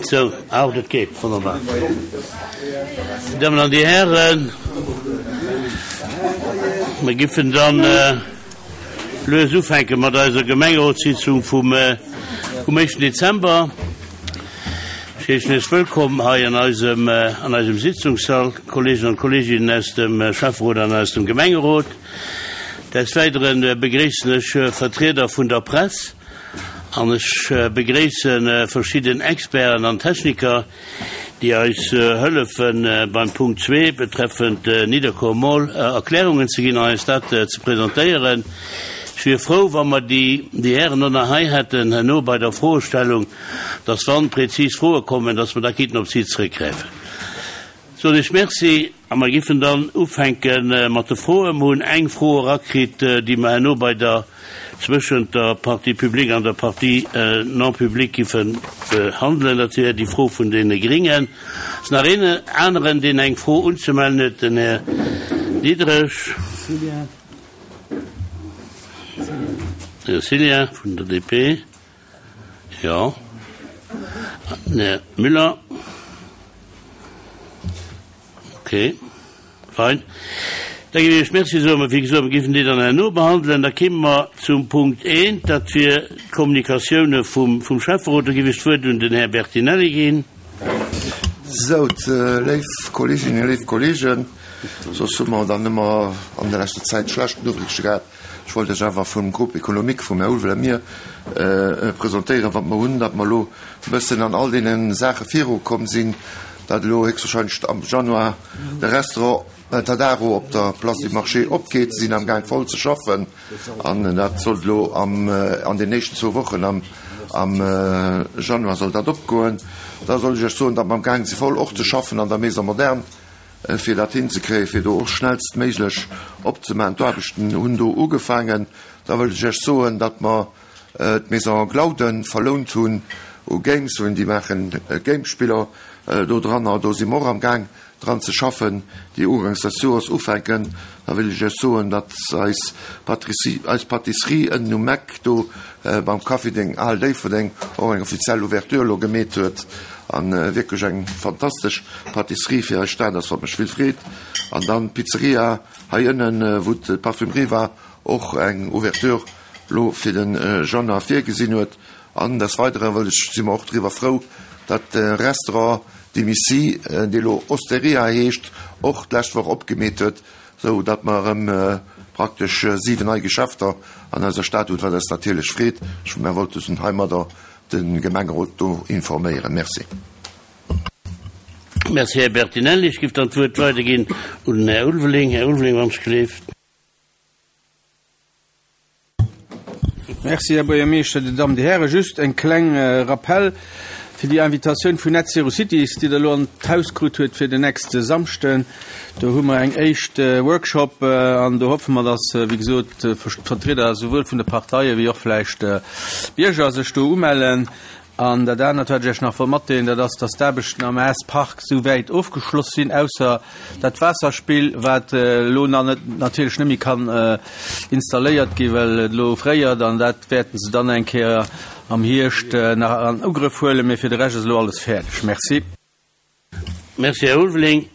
Sou, ah, dat geet, wonnerbar. Dir Dammen an Dir Hären, mir giffen dann lues ufänke mat eiser Gemengerotssitzung vum vum éischten Dezember. Ech heeschen Iech wëllkomm hei an eisem an eisem Sitzungssall, d'Kollegen an d'Kolleginnen aus dem Schäfferot an aus dem Gemengerot. Des Weidere begréissen ech Vertrieder vun der Press an ech begréisse verschidden Experten an Techniker, déi eis hëllefe beim Punkt zwee betreffend Nidderkuer Mall Erklärungen ze ginn an eis dat ze presentéieren. Ech wier frou, wa mer déi Hären och nach hei hätten herno bei der Froestellung, dass wann prezis Froe kommen, dass mer da kinnten op si zrëckgräifen. Soen ech Merci a mer giffen dann ufänke mat de Froen. Mer hunn eng Fro erakritt, déi mer herno bei der, zwëschent der Partie publique an der Partie non publique giffe behandelen. Dat wier déi Fro vun deene Gringen. Ass nach een aneren, deen eng Fro unzemellen huet? Den Här Diderich. Här Cillien vun der DP. Jo. Den Här Müller. Okay. Fein. Da géif ech Iech Merci soen. Mä wéi gesot, mir géifen déi dann herno behandelen. Da kéime mer zum Punkt eent, dat wier d'Kommunikatioune vum, vum Schäfferot. Do géif ech d'Wuert un den Här Bertinelli ginn. Sou, léif Kolleeginnen, léif Kolleegen, soss hu mer dann ëmmer an der leschter Zäit schlecht Noriichte gehat. Ech wollt Iech awer vum Groupe économique, vum Här Ulveling a mir, presentéieren, wat mer hunn, datt mer elo e bëssen an all deene Saache virukomm sinn, datt elo héchstwahrscheinlech am Januar de Restaurant Tadaro op der Place du Marché opgeet. Se sinn amgaang voll ze schaffen an dat sollt elo am, an den éischten zwou Wochen am, am Januar soll dat opgoen. Da soll ech Iech soen, datt mer amgaang si voll och ze schaffen an der Maison moderne. fir dat hinzekréien, fir do och schnellstméiglech opzemaachen. D'Aarbechten hunn do ugefaangen. Da wëllt ech Iech soen, datt mer d'Maison Glauden verlount hunn u Games hunn. Déi maachen Gamespiller do dranner. Do si mer och amgaang dran ze schaffen, déi ugangs des Joers ufänken. Da wëll ech Iech soen, datt eis eis Pâtisserie ënnen um Eck do beim Café Deng Al Déifferdeng och eng offiziell Ouverture elo gemeet huet a wierklech eng fantastesch Pâtisserie fir eis Stad ass, wat mech vill freet. An dann d'Pizzeria hei ënnen, wou d'Parfümerie war, och eng Ouverture elo fir de Januar virgesinn huet. An des Weidere wëll ech, si mer och driwwer frou, datt de Restaurant Dimissy, dee lo Osteria heescht, och d'lescht Woch opgemeet huet, sou datt mer erëm praktesch 7 nei Geschäfter an eiser Stad hunn, wat eis natierlech freet. Ech, mer wollten heimadder de Gemengerot do informéieren. Merci. Merci, Här Bertinelli. Ech géif dann d'Wuert weiderginn un den Här Ulveling. Här Ulveling, wann ech gleeft. Merci, Här Buergermeeschter, Dir Dammen, Dir Hären. Just eng kleng Rappel fir déi Invitatioun vun Net Zero Cities, déi Der elo an d'Haus krut huet fir den nächste Samschden. Do hu mer eng éischt Workshop an do hoffe mer, dass, wéi gesot, d'Vertrieder souwuel vun de Parteie wéi och vläicht Bierger sech do umellen. An dat anert, wat ech Iech nach wollt matdeelen, dat ass, dass d'Aarbechten am S-Park souwäit ofgeschloss sinn, ausser dat Waasserspill, wat elo nach net, natierlech net méi kann installéiert ginn, well et elo fréiert. An dat wäerte se dann eng Kéier am Hierscht nach an Ugrëff huelen. Mee fir de Rescht ass elo alles fäerdeg. Merci. Merci, Här Ulveling.